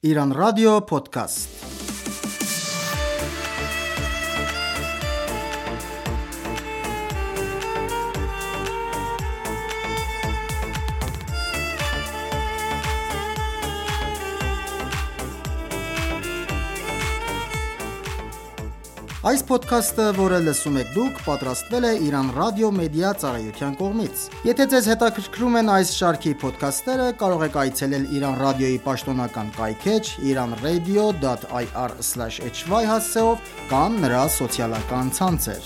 Iran Radio Podcast. Այս ոդքասթը, որը լսում եք դուք, պատրաստվել է Iran Radio Media ծառայության կողմից։ Եթե ձեզ հետաքրքրում են այս շարքի ոդքասթերը, կարող եք այցելել Iran Radio-ի պաշտոնական կայքէջ iranradio.ir/hy հասցեով կամ նրա սոցիալական ցանցեր։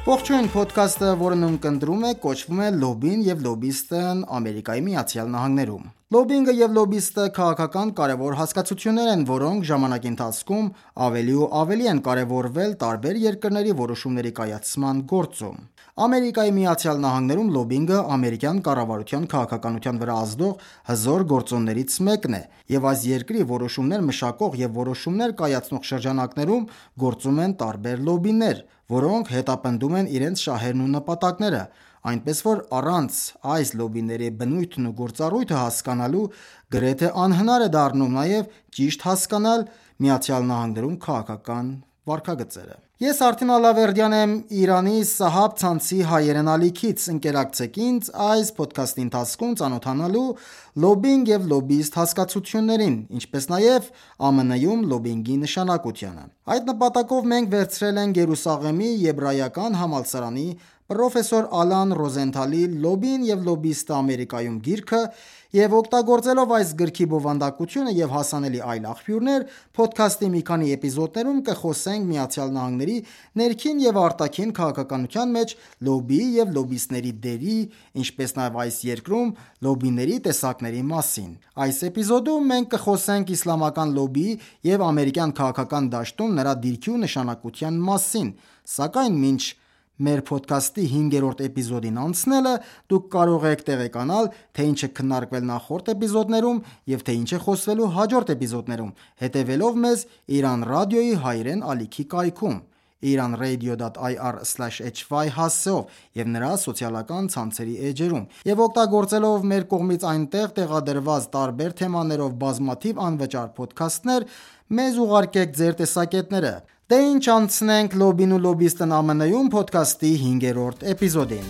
Ողջույն, ոդքասթը, որն ունկնդրում է, կոչվում է «Լոբին և լոբիստն Ամերիկայի Միացյալ Նահանգներում»։ Լոբինգը և լոբիստը քաղաքական կարևոր հասկացություններ են, որոնք ժամանակի ընթացքում ավելի ու ավելի են կարևորվել տարբեր երկրների որոշումների կայացման գործում։ Ամերիկայի Միացյալ Նահանգներում լոբինգը ամերիկյան կառավարության քաղաքականության վրա ազդող հզոր գործոններից մեկն է, և այս երկրի որոշումներ մշակող և որոշումներ կայացնող շրջանակներում գործում են տարբեր լոբիներ, որոնք հետապնդում են իրենց շահերն ու նպատակները, այնպես որ առանց այս լոբիների բնույթն ու գործառույթը հասկանալու գրեթե անհնար է դառնում նաև ճիշտ հասկանալ ԱՄՆ-ում քաղաքական վարքագծերը։ Ես Արթին Ալավերդյան եմ Իրանի Սահաբ ցանցի հայերեն ալիքից։ Ընկերակցեք ինձ այս ոդքասթի ընթացքում ծանոթանալու լոբինգ և լոբիստ հասկացություններին, ինչպես նաև ԱՄՆ-ում լոբինգի նշանակությանը։ Այդ նպատակով մենք վերցրել ենք Երուսաղեմի Եբրայական համալսարանի պրոֆեսոր Ալան Ռոզենթալի «Լոբին և լոբիստը Ամերիկայում» գիրքը և օգտագործելով այս գրքի բովանդակությունը և հասանելի այլ աղբյուրներ, փոդքասթի մի քանի էպիզոդներում կխոսենք ԱՄՆ-ի ներքին և արտաքին քաղաքականության մեջ լոբիի և լոբիստների դերի, ինչպես նաև այս երկրում լոբիների տեսակների մասին։ Այս էպիզոդում մենք կխոսենք իսլամական լոբիի և ամերիկյան քաղաքական դաշտում նրա դիրքի ու նշանակության մասին, սակայն մինչ մեր փոդքասթի 5-րդ էպիզոդին անցնելը, դուք կարող եք տեղեկանալ, թե ինչ է քննարկվել նախորդ էպիզոդներում և թե ինչ է խոսվելու հաջորդ էպիզոդներում, հետևելով մեզ Iran Radio-ի հայերեն ալիքի կայքում iranradio.ir/hy հասցեով և նրա սոցիալական ցանցերի էջերում, և օգտագործելով մեր կողմից այնտեղ տեղադրված տարբեր թեմաներով բազմաթիվ անվճար փոդքասթներ, մեզ ուղարկեք ձեր տեսակետները։ Դե ինչ անցնենք «Լոբին ու լոբիստն ԱՄՆ-ում» փոդքասթի 5-րդ էպիզոդին։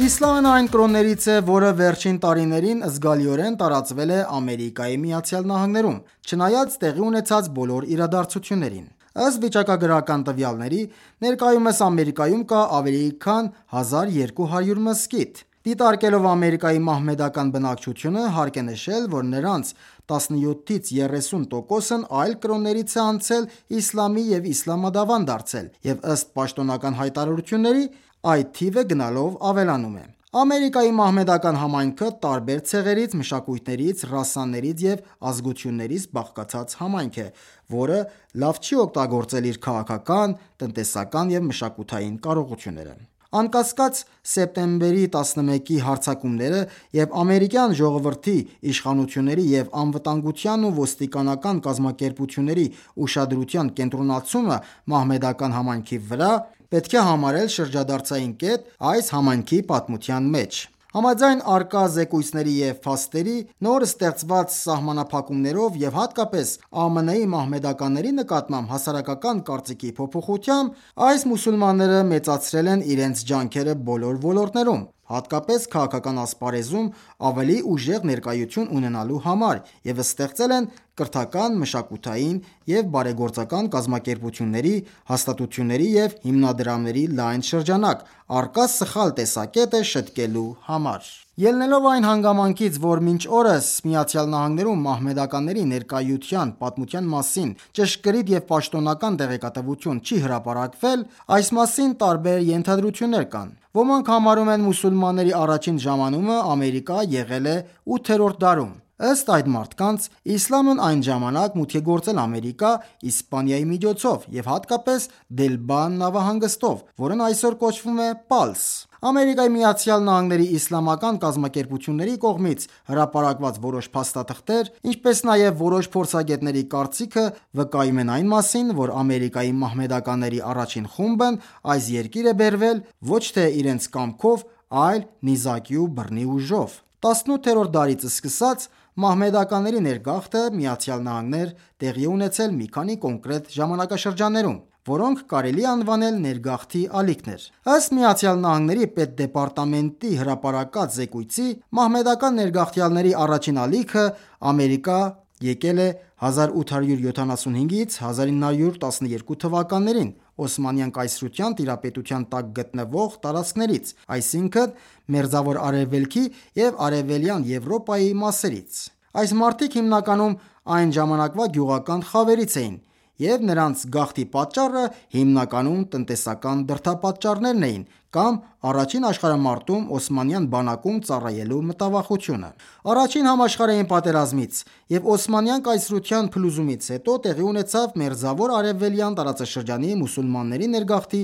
Իսլամն այն կրոններից է, որը վերջին տարիներին զգալիորեն տարածվել է Ամերիկայի Միացյալ Նահանգներում, չնայած տեղի ունեցած բոլոր իրադարձություններին։ Ըստ վիճակագրական տվյալների, ներկայումս Ամերիկայում կա ավելի քան 1200 մզկիթ։ Դիտարկելով Ամերիկայի մահմեդական բնակչությունը, հարկ է նշել, որ նրանց 17-ից 30%-ն այլ կրոններից է անցել իսլամի և իսլամադավան դարձել, և ըստ պաշտոնական հայտարարությունների, այդ թիվը գնալով ավելանում է։ Ամերիկայի մահմեդական համայնքը տարբեր ցեղերից, մշակույթներից, ռասաներից և ազգություններից բաղկացած համայնք է, որը լավ չի օգտագործել իր քաղաքական, տնտեսական և մշակութային կարողությունները։ Անկասկած, սեպտեմբերի 11-ի հարձակումները և ամերիկյան ժողովրդի, իշխանությունների և անվտանգության ու ոստիկանական կազմակերպությունների ուշադրության կենտրոնացումը մահմեդական համայնքի վրա պետք է համարել շրջադարձային կետ այս համայնքի պատմության մեջ։ Համաձայն առկա զեկույցների և փաստերի, նոր ստեղծված սահմանափակումներով և հատկապես ԱՄՆ-ի մահմեդականների նկատմամբ հասարակական կարծիքի փոփոխությամբ, այս մուսուլմանները մեծացրել են իրենց ջանքերը բոլոր ոլորտներում, հատկապես քաղաքական ասպարեզում ավելի ուժեղ ներկայություն ունենալու համար, և ստեղծել են կրթական, մշակութային և բարեգործական կազմակերպությունների, հաստատությունների և հիմնադրամների լայն շրջանակ՝ առկա սխալ տեսակետը շտկելու համար։ Ելնելով այն հանգամանքից, որ մինչ օրս ԱՄՆ-ում մահմեդականների ներկայության պատմության մասին ճշգրիտ և պաշտոնական տեղեկատվություն չի հրապարակվել, այս մասին տարբեր ենթադրություններ կան։ Ոմանք համարում են մուսուլմանների առաջին ժամանումը Ամերիկա եղել է 8-րդ դարում։ Ըստ այդ մարդկանց, իսլամն այն ժամանակ մուտք է գործել Ամերիկա Իսպանիայի միջոցով և հատկապես Դելբան նավահանգստով, որն այսօր կոչվում է Պալս։ ԱՄՆ-ի իսլամական կազմակերպությունների կողմից հրապարակված որոշ փաստաթղթեր, ինչպես նաև որոշ փորձագետների կարծիքը վկայում են այն մասին, որ Ամերիկայի մահմեդականների առաջին խումբն այս երկիր է բերվել ոչ թե իրենց կամքով, այլ նիզակի ու բռնի ուժով։ 18-րդ դարից սկսած մահմեդականների ներգաղթը ԱՄՆ տեղի է ունեցել մի քանի կոնկրետ ժամանակաշրջաններում, որոնք կարելի է անվանել ներգաղթի ալիքներ։ Ըստ ԱՄՆ Պետդեպարտամենտի հրապարակած զեկույցի, մահմեդական ներգաղթյալների առաջին ալիքը Ամերիկա եկել է 1875-ից 1912 թվականներին Օսմանյան կայսրության տիրապետության տակ գտնվող տարածքներից, այսինքն Մերձավոր Արևելքի և Արևելյան Եվրոպայի մասերից։ Այս մարդիկ հիմնականում այն ժամանակվա գյուղական խավերից էին, և նրանց գաղթի պատճառը հիմնականում տնտեսական դրդապատճառներն էին կամ Առաջին աշխարհամարտում օսմանյան բանակում ծառայելու մտավախությունը։ Առաջին համաշխարհային պատերազմից և Օսմանյան կայսրության փլուզումից հետո տեղի ունեցավ Մերձավոր Արևելյան տարածաշրջանի մուսուլմանների ներգաղթի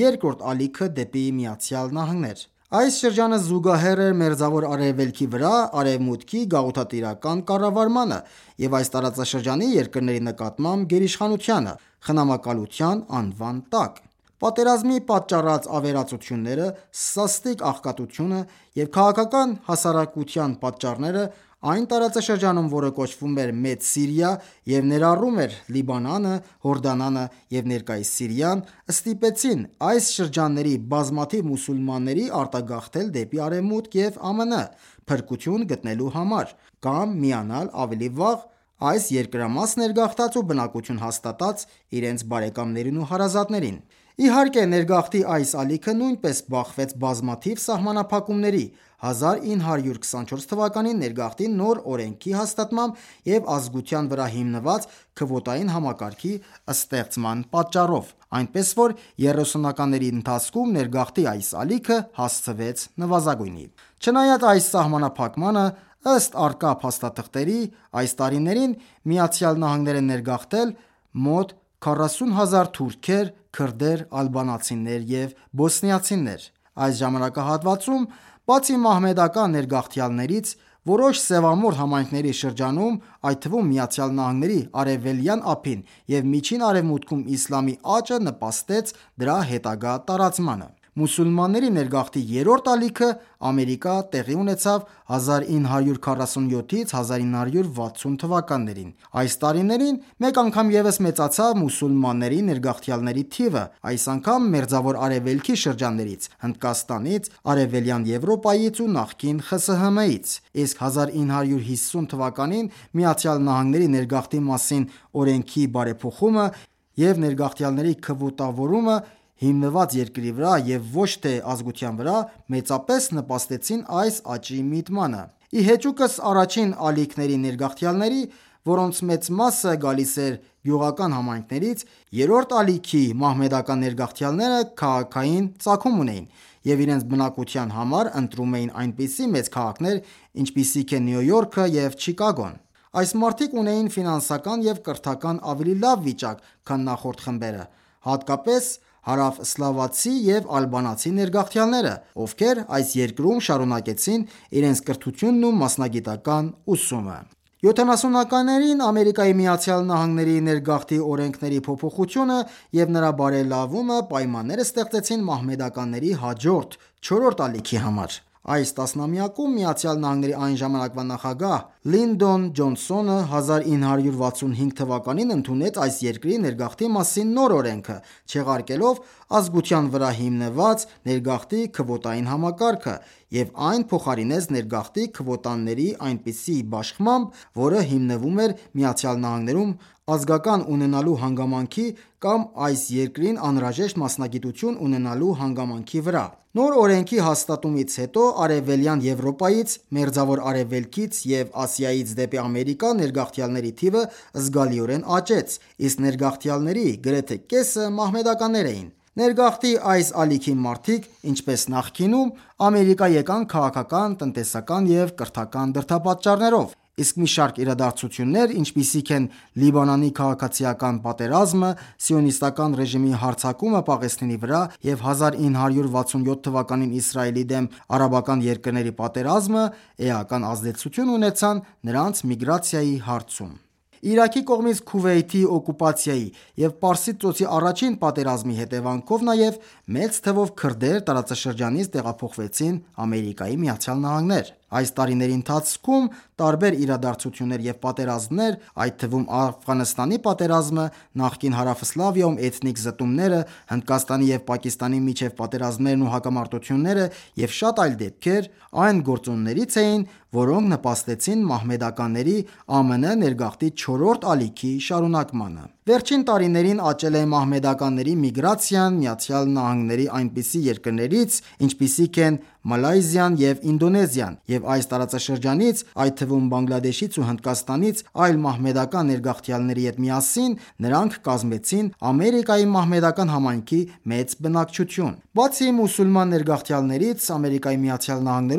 երկրորդ ալիքը դեպի ԱՄՆ։ Այս շրջանը զուգահեռ էր Մերձավոր Արևելքի վրա Արևմուտքի գաղութատիրական կառավարմանը և այս տարածաշրջանի երկրների նկատմամբ գերիշխանությանը խնամակալության անվան տակ։ Պատերազմի պատճառած ավերածությունները, սաստիկ աղքատությունը և քաղաքական հասարակության պատճառները այն տարածաշրջանում, որը կոչվում էր Մեծ Սիրիա և ներառում էր Լիբանանը, Հորդանանը և ներկայիս Սիրիան, ստիպեցին այս շրջանների բազմաթիվ մուսուլմանների արտագաղթել դեպի Արևմուտք և ԱՄՆ՝ փրկություն գտնելու համար, կամ միանալ ավելի վաղ այս երկրամաս ներգաղթած ու բնակություն հաստատած իրենց բարեկամներին ու հարազատներին։ Իհարկե, ներգաղթի այս ալիքը նույնպես բախվեց բազմաթիվ սահմանափակումների՝ 1924 թվականի ներգաղթի նոր օրենքի հաստատմամբ և ազգության վրա հիմնված քվոտային համակարգի ստեղծման պատճառով, այնպես որ 30-ականների ընթացքում ներգաղթի այս ալիքը հասցվեց նվազագույնի։ Չնայած այս սահմանափակմանը, ըստ առկա փաստաթղթերի, այս տարիներին ԱՄՆ-ն է ներգաղթել մոտ 40,000 թուրքեր, քրդեր, ալբանացիներ և բոսնիացիներ։ Այս ժամանակահատվածում, բացի մահմեդական ներգաղթյալներից, որոշ սևամորթ համայնքների շրջանում, այդ թվում ԱՄՆ-ի Արևելյան ափին և Միջին Արևմուտքում իսլամի աճը նպաստեց դրա հետագա տարածմանը։ Մուսուլմանների ներգաղթի երրորդ ալիքը Ամերիկա տեղի ունեցավ 1947-ից 1960 թվականներին։ Այս տարիներին մեկ անգամ ևս մեծացավ մուսուլմանների ներգաղթյալների թիվը, այս անգամ Մերձավոր Արևելքի շրջաններից, Հնդկաստանից, Արևելյան Եվրոպայից ու նախկին ԽՍՀՄ-ից, իսկ 1950 թվականին ԱՄՆ ներգաղթի մասին օրենքի բարեփոխումը և ներգաղթյալների քվոտավորումը հիմնված երկրի վրա և ոչ թե ազգության վրա մեծապես նպաստեցին այս աճի միտմանը։ Ի հեճուկս առաջին ալիքների ներգաղթյալների, որոնց մեծ մասը գալիս էր գյուղական համայնքներից, երրորդ ալիքի մահմեդական ներգաղթյալները քաղաքային ծագում ունեին և իրենց բնակության համար ընտրում էին այնպիսի մեծ քաղաքներ, ինչպիսիք են Նյու Յորքը և Չիկագոն։ Այս մարդիկ ունեին ֆինանսական և կրթական ավելի լավ վիճակ, քան նախորդ խմբերը, հատկապես հարավսլավացի և ալբանացի ներգաղթյալները, ովքեր այս երկրում շարունակեցին իրենց կրթությունն ու մասնագիտական ուսումը։ 70-ականներին ԱՄՆ ներգաղթի օրենքների փոփոխությունը և նրա բարելավումը պայմաններ ստեղծեցին մահմեդականների հաջորդ, չորրորդ ալիքի համար։ Այս տասնամյակում ԱՄՆ-ի այն ժամանակվա նախագահ Լինդոն Ջոնսոնը 1965 թվականին ընդունեց այս երկրի ներգաղթի մասին նոր օրենքը, չեղարկելով ազգության վրա հիմնված ներգաղթի քվոտային համակարգը և այն փոխարինեց ներգաղթի քվոտաների այնպիսի իշխմամբ, որը հիմնվում էր ԱՄՆ-ում ազգական ունենալու հանգամանքի կամ այս երկրին անհրաժեշտ մասնագիտություն ունենալու հանգամանքի վրա։ Նոր օրենքի հաստատումից հետո Արևելյան Եվրոպայից, Մերձավոր Արևելքից և Ասիայից դեպի Ամերիկա ներգաղթյալների թիվը զգալիորեն աճեց, իսկ ներգաղթյալների գրեթե կեսը մահմեդականներ էին։ Ներգաղթի այս ալիքի մարդիկ, ինչպես նախկինում, Ամերիկա եկան քաղաքական, տնտեսական և կրթական դրդապատճառներով։ Իսկ մի շարք իրադարձություններ, ինչպիսիք են Լիբանանի քաղաքացիական պատերազմը, Սիոնիստական ռեժիմի հարձակումը Պաղեստինի վրա և 1967 թվականին Իսրայելի դեմ արաբական երկրների պատերազմը, էական ազդեցություն ունեցան նրանց միգրացիայի հարցում։ Իրաքի կողմից Քուվեյթի օկուպացիայի և Պարսից ծոցի առաջին պատերազմի հետևանքով նաև մեծ թվով քրդեր տարածաշրջանից տեղափոխվեցին ԱՄՆ։ Այս տարիների ընթացքում տարբեր իրադարձություններ և պատերազմներ, այդ թվում Աֆղանստանի պատերազմը, նախկին Հարավսլավիայում էթնիկ զտումները, Հնդկաստանի և Պակիստանի միջև պատերազմներն ու հակամարտությունները և շատ այլ դեպքեր այն գործոններից էին, որոնք նպաստեցին մահմեդականների ԱՄՆ ներգաղթի չորրորդ ալիքի շարունակմանը։ Վերջին տարիներին աճել է մահմեդականների միգրացիան ԱՄՆ այնպիսի երկրներից, ինչպիսիք են Մալայզիան և Ինդոնեզիան, և այս տարածաշրջանից, այդ թվում Բանգլադեշից ու Հնդկաստանից այլ մահմեդական ներգաղթյալների հետ միասին նրանք կազմեցին Ամերիկայի մահմեդական համայնքի մեծ բնակչություն։ Բացի մուսուլման ներգաղթյալներից,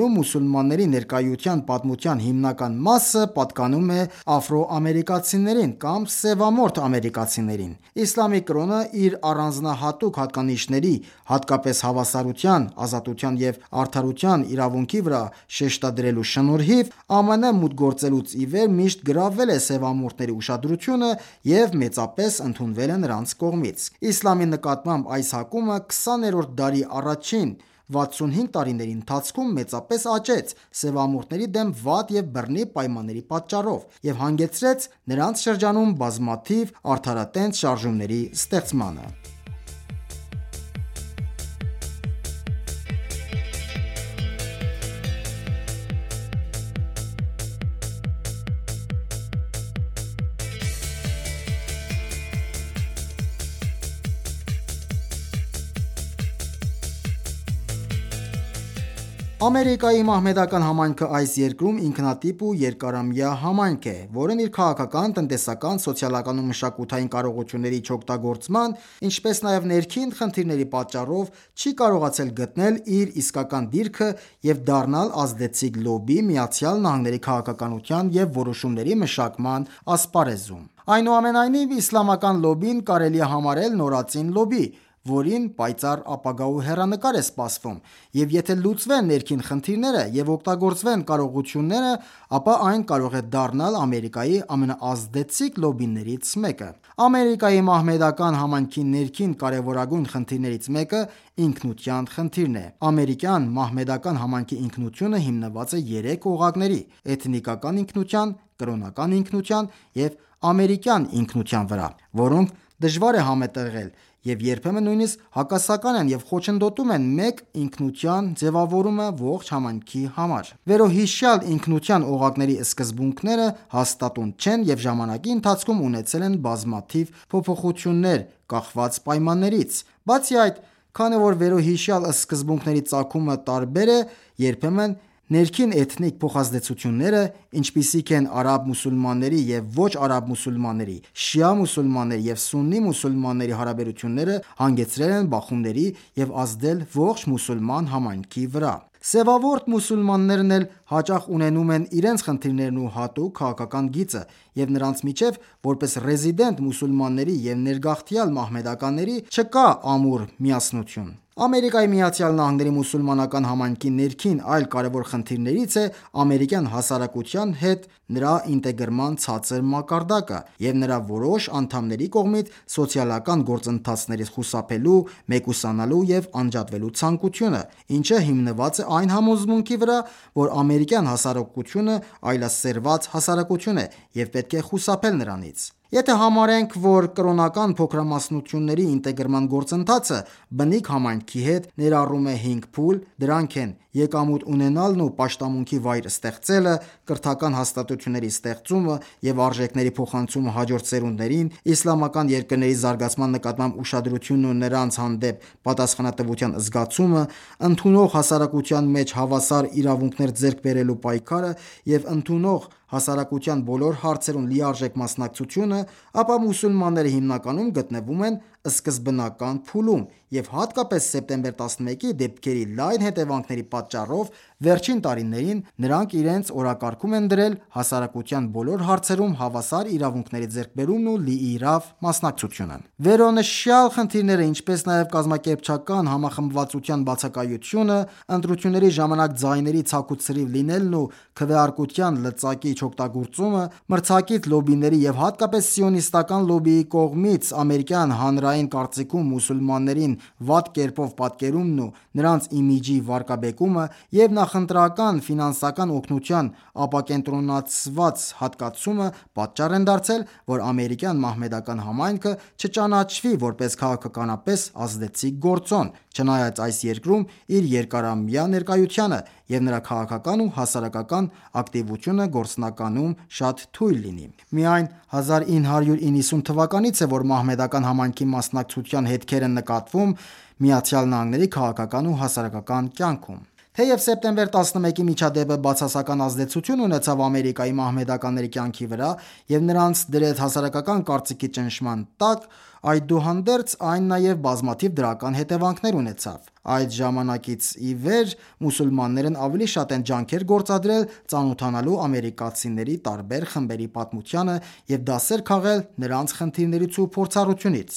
ԱՄՆ-ում մուսուլմանների ներկայության պատմության հիմնական մասը պատկանում է աֆրոամերիկացիներին կամ սևամորթ ամերիկացիներին։ Իսլամի կրոնը իր առանձնահատուկ հատկանիշների, հատկապես հավասարության, ազատության և արդարության իրավունքի վրա շեշտադրելու շնորհիվ, ԱՄՆ մուտք գործելուց ի վեր միշտ գրավել է սևամորթների ուշադրությունը և մեծապես ընդունվել է նրանց կողմից։ Իսլամի նկատմամբ այս հակումը 20-րդ դարի առաջին 65 տարիների ընթացքում մեծապես աճեց սևամորթների դեմ վատ և բռնի պայմանների պատճառով և հանգեցրեց նրանց շրջանում բազմաթիվ արդարատենչ շարժումների ստեղծմանը։ Ամերիկայի մահմեդական համայնքը այս երկրում ինքնատիպ ու երկարամյա համայնք է, որն իր քաղաքական, տնտեսական, սոցիալական ու մշակութային կարողությունների չօգտագործման, ինչպես նաև ներքին խնդիրների պատճառով չի կարողացել գտնել իր իսկական դիրքը և դառնալ ազդեցիկ լոբբի ԱՄՆ քաղաքականության և որոշումների մշակման ասպարեզում։ Այնուամենայնիվ, իսլամական լոբբին կարելի է համարել նորածին լոբբի, որին պայծառ ապագա ու հեռանկար է սպասվում, և եթե լուծվեն ներքին խնդիրները և օգտագործվեն կարողությունները, ապա այն կարող է դառնալ Ամերիկայի ամենաազդեցիկ լոբբիներից մեկը։ Ամերիկայի մահմեդական համայնքի ներքին կարևորագույն խնդիրներից մեկը ինքնության խնդիրն է։ Ամերիկյան մահմեդական համայնքի ինքնությունը հիմնված է երեք օղակների՝ էթնիկական ինքնության, կրոնական ինքնության և ամերիկյան ինքնության վրա, որոնք դժվար է համատեղել և երբեմն նույնիսկ հակասական են և խոչընդոտում են մեկ ինքնության ձևավորումը ողջ համայնքի համար։ Վերոհիշյալ ինքնության օղակների սկզբունքները հաստատուն չեն և ժամանակի ընթացքում ունեցել են բազմաթիվ փոփոխություններ՝ կախված պայմաններից։ Բացի այդ, քանի որ վերոհիշյալ սկզբունքների ծագումը տարբեր է, երբեմն ներքին էթնիկ փոխազդեցությունները, ինչպիսիք են արաբ մուսուլմանների և ոչ արաբ մուսուլմանների, շիա մուսուլմանների և սուննի մուսուլմանների հարաբերությունները հանգեցրել են բախումների և ազդել ողջ մուսուլման համայնքի վրա։ Սևամորթ մուսուլմաններն էլ հաճախ ունենում են իրենց խնդիրներն ու հատուկ քաղաքական գիծը, և նրանց միջև, որպես ռեզիդենտ մուսուլմանների և ներգաղթյալ մահմեդականների, չկա ամուր միասնություն։ Ամերիկայի Միացյալ Նահանգների մուսուլմանական համայնքի ներքին այլ կարևոր խնդիրներից է ամերիկյան հասարակության հետ նրա ինտեգրման ցածր մակարդակը և նրա որոշ անդամների կողմից սոցիալական գործընթացներից խուսափելու, մեկուսանալու և անջատվելու ցանկությունը, ինչը հիմնված է այն համոզմունքի վրա, որ ամերիկյան հասարակությունը այլասերված հասարակություն է և պետք է խուսափել նրանից: Եթե համարենք, որ կրոնական փոքրամասնությունների ինտեգրման գործընթացը բնիկ համայնքի հետ ներառում է 5 փուլ, դրանք են՝ եկամուտ ունենալն ու պաշտամունքի վայր ստեղծելը, կրթական հաստատությունների ստեղծումը և արժեքների փոխանցումը հաջորդ սերունդներին, իսլամական երկրների զարգացման նկատմամբ ուշադրությունն ու նրանց հանդեպ պատասխանատվության զգացումը, ընդունող հասարակության մեջ հավասար իրավունքներ ձեռք բերելու պայքարը և ընդունող հասարակության բոլոր հարցերում լիարժեք մասնակցությունը, ապա մուսուլմանները հիմնականում գտնվում են սկզբնական փուլում և հատկապես սեպտեմբեր 11-ի դեպքերի լայն հետևանքների պատճառով վերջին տարիներին նրանք իրենց օրակարգում են դրել հասարակության բոլոր հարցերում հավասար իրավունքների ձեռքբերումն ու լիիրավ մասնակցությունը: Վերոնշյալ խնդիրները, ինչպես նաև կազմակերպչական համախմբվածության բացակայությունը, ընտրությունների ժամանակ ձայների ցաքուցրիվ լինելն ու քվեարկության լծակի չօգտագործումը, մրցակից լոբբիների և հատկապես սիոնիստական լոբբիի կողմից ամերիկյան հանրային կարծիքում մուսուլմաններին վատ կերպով պատկերումն ու նրանց իմիջի վարկաբեկումը և նախընտրական ֆինանսական օգնության ապակենտրոնացված հատկացումը պատճառ են դարձել, որ ամերիկյան մահմեդական համայնքը չճանաչվի որպես քաղաքականապես ազդեցիկ գործոն, չնայած այս երկրում իր երկարամյա ներկայությանը և նրա քաղաքական ու հասարակական ակտիվությունը գործնականում շատ թույլ լինի: Միայն 1990 թվականից է, որ մահմեդական համայնքի մասնակցության հետքեր են նկատվում ԱՄՆ-ի քաղաքական ու հասարակական կյանքում: Թեև սեպտեմբեր 11-ի միջադեպը բացասական ազդեցություն ունեցավ Ամերիկայի մահմեդականների կյանքի վրա և նրանց դրեց հասարակական կարծիքի ճնշման տակ, այդուհանդերձ այն նաև բազմաթիվ դրական հետևանքներ ունեցավ: Այդ ժամանակից ի վեր մուսուլմաններն ավելի շատ են ջանքեր գործադրել ծանոթանալու ամերիկացիների տարբեր խմբերի պատմությանը և դասեր քաղել նրանց խնդիրներից ու փորձառությունից: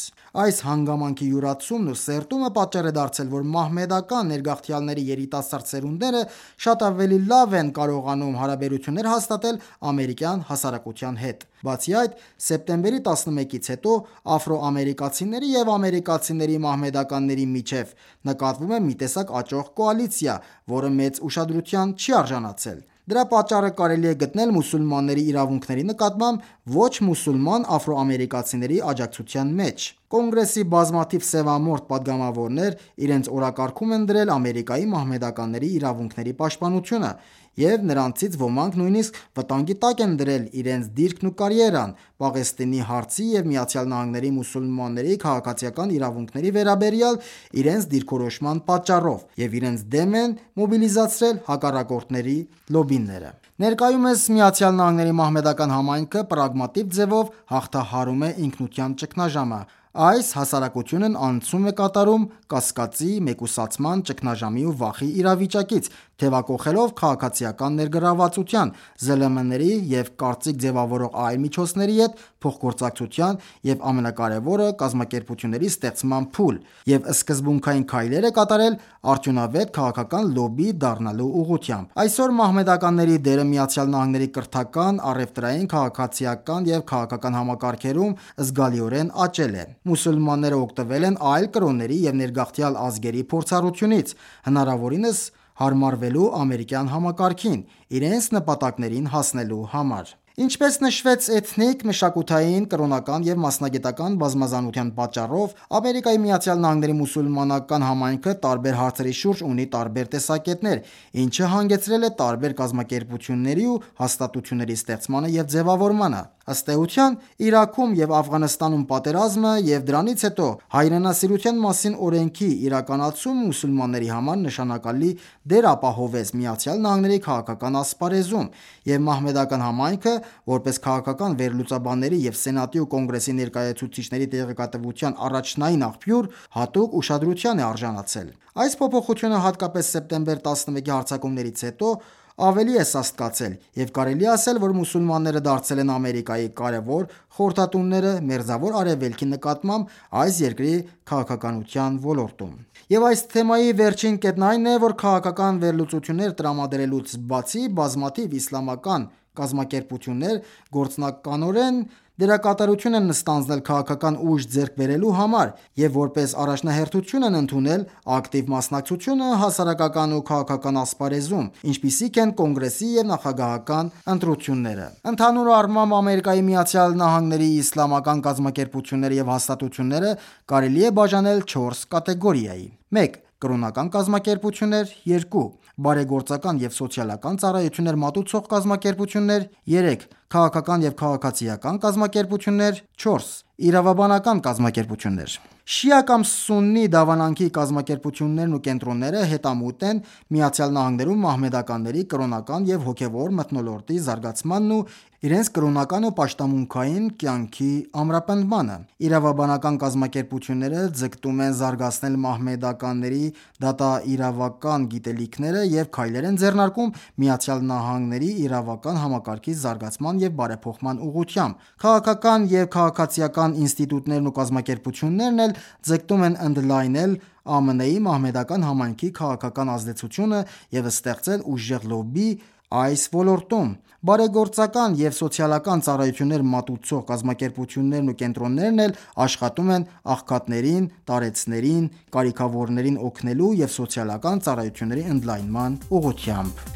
Այս հանգամանքի յուրացումն ու սերտումը պատճառ է դարձել, որ մահմեդական ներգաղթյալների երիտասարդ սերունդները շատ ավելի լավ են կարողանում հարաբերություններ հաստատել ամերիկյան հասարակության հետ: Բացի այդ, սեպտեմբերի 11-ից հետո աֆրոամերիկացիների և ամերիկացիների մահմեդականների միջև նկատվում է մի տեսակ աճող կոալիցիա, որը մեծ ուշադրության չի արժանացել: Դրա պատճառը կարելի է գտնել մուսուլմանների իրավունքների նկատմամբ ոչ մուսուլման աֆրոամերիկացիների աջակցության մեջ: Կոնգրեսի բազմաթիվ սևամորթ պատգամավորներ իրենց օրակարգում են դրել Ամերիկայի մահմեդականների իրավունքների պաշտպանությունը և նրանցից ոմանք նույնիսկ վտանգի տակ են դրել իրենց դիրքն ու կարիերան Պաղեստինի հարցի և ԱՄՆ-ի մուսուլմանների քաղաքացիական իրավունքների վերաբերյալ իրենց դիրքորոշման պատճառով և իրենց դեմ են մոբիլիզացրել հակառակորդների լոբբիները: Ներկայումս ԱՄՆ-ի մահմեդական համայնքը պրագմատիկ ձևով հաղթահարում է ինքնության ճգնաժամը: Այս հասարակությունն անցում է կատարում կասկածի, մեկուսացման, ճգնաժամի ու վախի իրավիճակից, թևակոխելով քաղաքացիական ներգրավվածության, ԶԼՄ-ների և կարծիք ձևավորող այլ միջոցների հետ փոխգործակցության և ամենակարևորը կազմակերպությունների ստեղծման փուլ և սկզբունքային քայլեր է կատարել արդյունավետ քաղաքական լոբբի դառնալու ուղղությամբ: Այսօր մահմեդականների դերը ԱՄՆ-ի կրթական, առևտրային, քաղաքացիական և քաղաքական համակարգերում զգալիորեն աճել է: Մուսուլմանները օգտվել են այլ կրոնների և ներգաղթյալ ազգերի փորձառությունից՝ հնարավորինս հարմարվելու ամերիկյան համակարգին՝ իրենց նպատակներին հասնելու համար: Ինչպես նշվեց, էթնիկ, մշակութային, կրոնական և մասնագիտական բազմազանության պատճառով Ամերիկայի ԱՄՆ-ի մուսուլմանական համայնքը տարբեր հարցերի շուրջ ունի տարբեր տեսակետներ, ինչը հանգեցրել է տարբեր կազմակերպությունների ու հաստատությունների ստեղծմանը և ձևավորմանը: Ըստ էության, Իրաքում և Աֆղանստանում պատերազմը և դրանից հետո Հայրենասիրության մասին օրենքի իրականացումը մուսուլմանների համար նշանակալի դեր ապահովեց ԱՄՆ-ի քաղաքական ասպարեզում և մահմեդական համայնքը, որպես քաղաքական վերլուծաբանների և Սենատի ու Կոնգրեսի ներկայացուցիչների տեղեկատվության առաջնային աղբյուր, հատուկ ուշադրության է արժանացել: Այս փոփոխությունը հատկապես սեպտեմբեր 11-ի հարձակումներից հետո ավելի է սաստկացել, եւ կարելի ասել, որ մուսուլմանները դարձել են Ամերիկայի կարևոր խորհրդատուները Մերձավոր Արևելքի նկատմամբ այս երկրի քաղաքականության ոլորտում։ Եվ այս թեմայի վերջին կետն այն է, որ քաղաքական վերլուծություններ տրամադրելուց բացի բազմաթիվ իսլամական կազմակերպություններ գործնականորեն դերակատարություն են ստանձնել քաղաքական ուժ ձեռք բերելու համար և որպես առաջնահերթություն են ընդունել ակտիվ մասնակցությունը հասարակական ու քաղաքական ասպարեզում, ինչպիսիք են կոնգրեսի և նախագահական ընտրությունները։ Ընդհանուր առմամբ ԱՄՆ-ի իսլամական կազմակերպությունները և հաստատությունները կարելի է բաժանել 4 կատեգորիայի. 1. Կրոնական կազմակերպություններ 2. Բարեգործական և սոցիալական ծառայություններ մատուցող կազմակերպություններ 3. Քաղաքական և քաղաքացիական կազմակերպություններ 4. Իրավաբանական կազմակերպություններ։ Շիա կամ սուննի դավանանքի կազմակերպություններն ու կենտրոնները հետամուտ են ԱՄՆ-ում մահմեդականների կրոնական և հոգևոր մթնոլորտի զարգացմանն ու իրենց կրոնական ու պաշտամունքային կյանքի ամրապնդմանը։ Իրավաբանական կազմակերպությունները ձգտում են զարգացնել մահմեդականների դատաիրավական գիտելիքները և քայլեր են ձեռնարկում ԱՄՆ-ի իրավական համակարգի զարգացման և բարեփոխման ուղղությամբ։ Քաղաքական և քաղաքացիական ինստիտուտներն ու կազմակերպություններն էլ ձգտում են ընդլայնել ԱՄՆ-ի մահմեդական համայնքի քաղաքական ազդեցությունը և ստեղծել ուժեղ լոբբի այս ոլորտում։ Բարեգործական և սոցիալական ծառայություններ մատուցող կազմակերպություններն ու կենտրոններն էլ աշխատում են աղքատներին, տարեցներին, կարիքավորներին օգնելու և սոցիալական ծառայությունների ընդլայնման ուղղությամբ։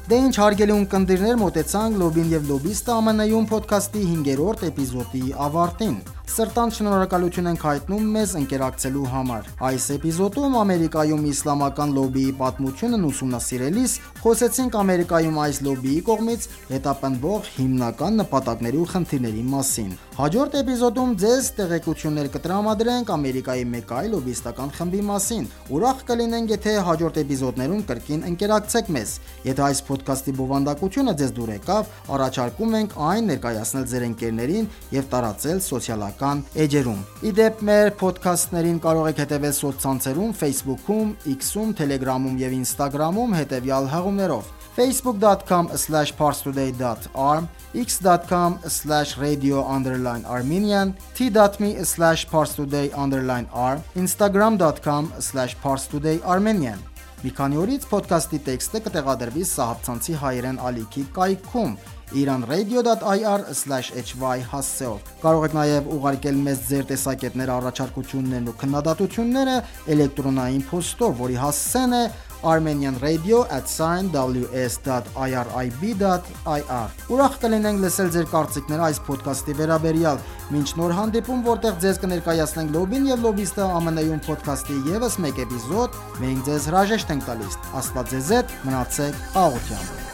Դե ինչ հարգելի ունկնդիրներ, մոտեցանք «Լոբին և լոբիստը» ԱՄՆ-ում փոդքասթի 5-րդ էպիզոդի ավարտին։ Սրտանց շնորհակալություն ենք հայտնում մեզ ընկերակցելու համար։ Այս էպիզոդում Ամերիկայում իսլամական լոբբիի պատմությունն ուսումնասիրելիս խոսեցինք Ամերիկայում այս լոբբիի կողմից հետապնդվող հիմնական նպատակների ու խնդիրների մասին։ Հաջորդ էպիզոդում ձեզ տեղեկություններ կտրամադրենք Ամերիկայի մեկ այլ լոբբիստական խմբի մասին։ Ուրախ կլինենք, եթե հաջորդ էպիզոդներում կրկին ընկերակցեք մեզ։ Եթե այս փոդքասթի բովանդակությունը ձեզ դուր եկավ, առաջարկում ենք այն ներկայացնել ձեր ընկերներին և տարածել սոցիալական էջերում։ Ի դեպ, մեր փոդքասթներին կարող եք հետևել սոցցանցերում Facebook-ում, X-ում, Telegram-ում և Instagram-ում հետևյալ հղումներով. facebook.com/parstoday.ir, x.com/radio_armenian, t.me/parstoday_r, instagram.com/parstodayarmenian։ Մի քանի օրից փոդքասթի տեքստը կտեղադրվի Սահაბցանցի հայերեն ալիքի կայքում iranradio.ir/hy հասցեով։ Կարող եք նաև ուղարկել մեզ ձեր տեսակետները, առաջարկություններն ու քննադատությունները էլեկտրոնային փոստով, որի հասցեն է armenianradio@ws.irib.ir։ Ուրախ կլինենք լսել ձեր կարծիքները այս փոդքասթի վերաբերյալ։ Մինչ նոր հանդիպում, որտեղ ձեզ կներկայացնենք Լոբին և լոբիստը ԱՄՆ-ում փոդքասթի ևս մեկ էպիզոդ, մենք ձեզ հրաժեշտ ենք տալիս։ Աստված ձեզ հետ, մնացեք աղոթությամբ։